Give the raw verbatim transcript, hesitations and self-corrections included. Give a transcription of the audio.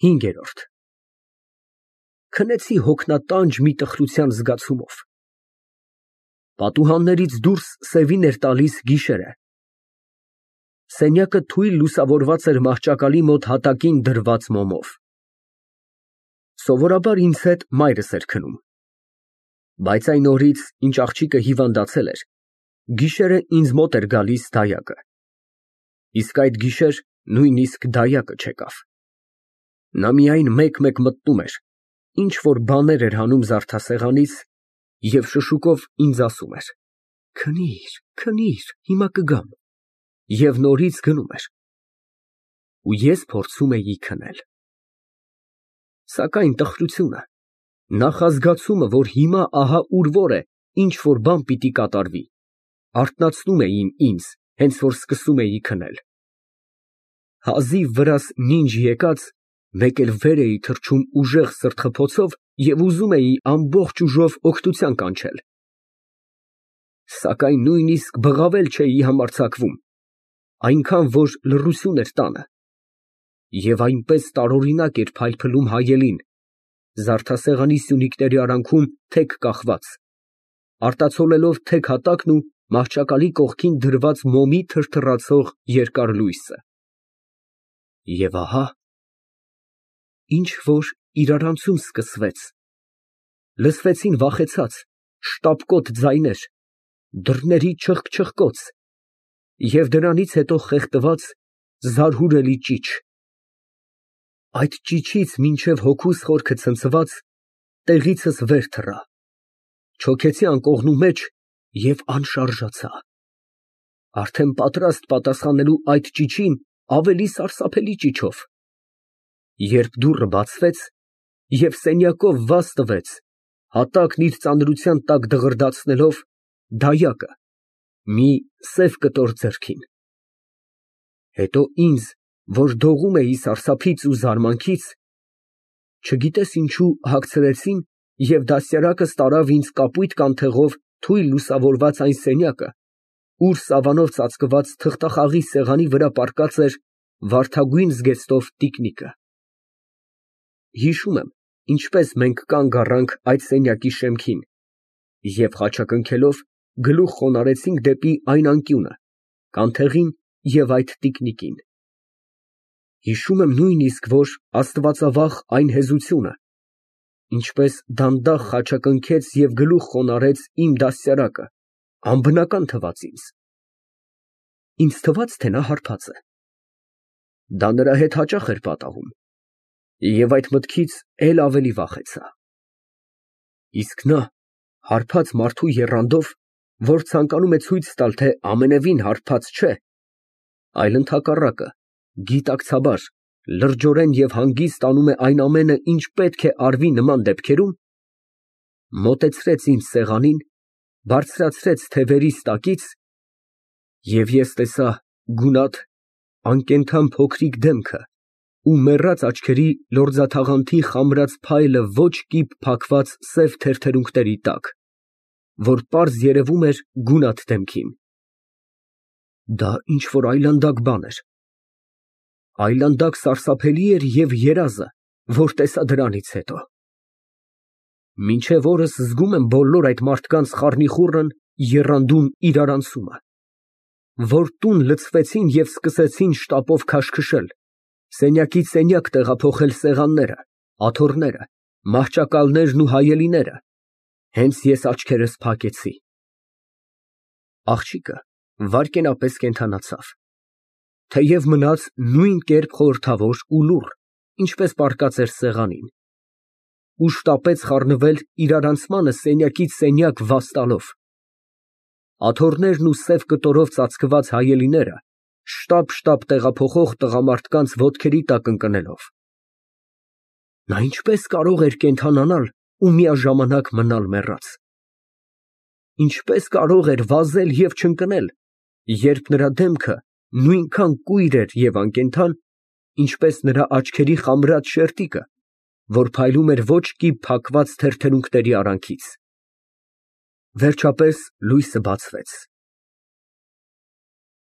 ՀԻՆԳԵՐՈՐԴ Քնեցի հոգնատանջ մի տխրության զգացումով։ Պատուհաններից դուրս սևին էր տալիս գիշերը։ Սենյակը թույլ լուսավորված էր մահճակալի մոտ հատակին դրված մոմով։ Սովորաբար ինձ հետ մայրս էր քնում, բայց այն օրից, ինչ աղջիկը հիվանդացել էր, գիշերը ինձ մոտ էր գալիս դայակը, իսկ այդ գիշեր նույնիսկ դայակը չեկավ։ Նա միայն մեկ֊մեկ մտնում էր, ինչ֊որ բաներ էր հանում զարդասեղանից և շշուկով ինձ ասում էր. «Քնիր, քնիր, հիմա կգամ» և նորից գնում էր։ Ու ես փորձում էի քնել։ Սակայն տխրությունը, նախազգացումը, որ հիմա ահա ուր֊որ է, ինչ֊որ բան պիտի կատարվի, արթնացնում էին ինձ, հենց որ սկսում էի քնել։ Հազիվ վրաս նինջ եկած, մեկ էլ վեր էի թռչում ուժեղ սրտխփոցով և ուզում էի ամբողջ ուժով օգնության կանչել։ Սակայն նույնիսկ բղավել չէի համարձակվում, այնքան որ լռություն էր տանը, և այնպես տարօրինակ էր փայլփլում հայելին, զարդասեղանի սյունիկների արանքում թեք կախված, արտացոլելով թեք հատակն ու մահճակալի կողքին դրված մոմի թրթռացող երկար լույսը։ Եվ ահա ինչ֊որ իրարանցում սկսվեց, լսվեցին վախեցած, շտապկոտ ձայներ, դռների չխկ֊չխկոց և դրանից հետո խեղդված, զարհուրելի ճիչ։ Այդ ճիչից մինչև հոգուս խորքը ցնցված, տեղիցս վեր թռա, չոքեցի անկողնու մեջ և անշարժացա, արդեն պատրաստ պատասխանելու այդ ճիչին ավելի սարսափելի ճիչով, երբ դուռը բացվեց, և սենյակով վազ տվեց, հատակն իր ծանրության տակ դղրդացնելով, դայակը մի սև կտոր ձեռքին։ Հետո ինձ, որ դողում էի սարսափից ու զարմանքից, չգիտես ինչու հագցրեցին և դաստիարակս տարավ ինձ կապույտ կանթեղով թույլ լուսավորված այն սենյակը, ուր սավանով ծածկված թղթախաղի սեղանի վրա պառկած էր վարդագույն զգեստով տիկնիկը։ Հիշում եմ, ինչպես մենք կանգ առանք այդ սենյակի շեմքին և խաչակնքելով գլուխ խոնարհեցինք դեպի այն անկյունը, կանթեղին և այդ տիկնիկին։ Հիշում եմ նույնիսկ, որ աստվածավախ այն հեզությունը, ինչպես դանդաղ խաչակնքեց և գլուխ խոնարհեց իմ դաստիարակը, անբնական թվաց ինձ։ Ինձ թվաց, թե նա հարբած է։ Դա նրա հետ հաճախ էր պատահում, և այդ մտքից էլ ավելի վախեցա։ Իսկ նա հարբած մարդու եռանդով, որ ցանկանում է ցույց տալ, թե ամենևին հարբած չէ, այլ ընդհակառակը, գիտակցաբար, լրջորեն և հանգիստ անում է այն ամենը, ինչ պետք է արվի նման դեպքերում, մոտեցրեց ինձ սեղանին, բարձրացրեց թևերիս տակից, և ես տեսա գունատ, անկենդան փոքրիկ դեմքը ու մեռած աչքերի լորձաթաղանթի խամրած փայլը ոչ կիպ փակված սև թերթերունքների տակ, որ պարզ երևում էր գունատ դեմքին։ Դա ինչ֊որ այլանդակ բան էր, այլանդակ սարսափելի էր և երազը, որ տեսա դրանից հետո։ Մինչև օրս զգում եմ բոլոր այդ մարդկանց խառնիխուռն, եռանդուն իրարանցումը, որ տուն լցվեցին և սկսեցին շտապով քաշքշել, սենյակից սենյակ տեղափոխել սեղանները, աթոռները, մահճակալներն ու հայելիները, հենց ես աչքերս փակեցի։ Աղջիկը վայրկենապես կենդանացավ, թեև մնաց նույն կերպ խորհրդավոր ու լուռ, ինչպես պառկած էր սեղանին, ու շտապեց խառնվել իրարանցմանը սենյակից սենյակ վազ տալով։ Աթոռներն ու սև կտորով ծածկված հայելիները շտապ֊շտապ տեղափոխող տղամարդկանց ոտքերի տակ ընկնելով։ Նա ինչպես կարող էր կենդանանալ ու միաժամանակ մնալ մեռած։ Ինչպես կարող էր վազել և չընկնել, երբ նրա դեմքը նույնքան կույր էր և անկենդան, ինչպես նրա աչքերի խամրած շերտիկը, որ փայլում էր ոչ կիպ փակված թերթերունքների արանքից։ Վերջապես լույսը բացվեց։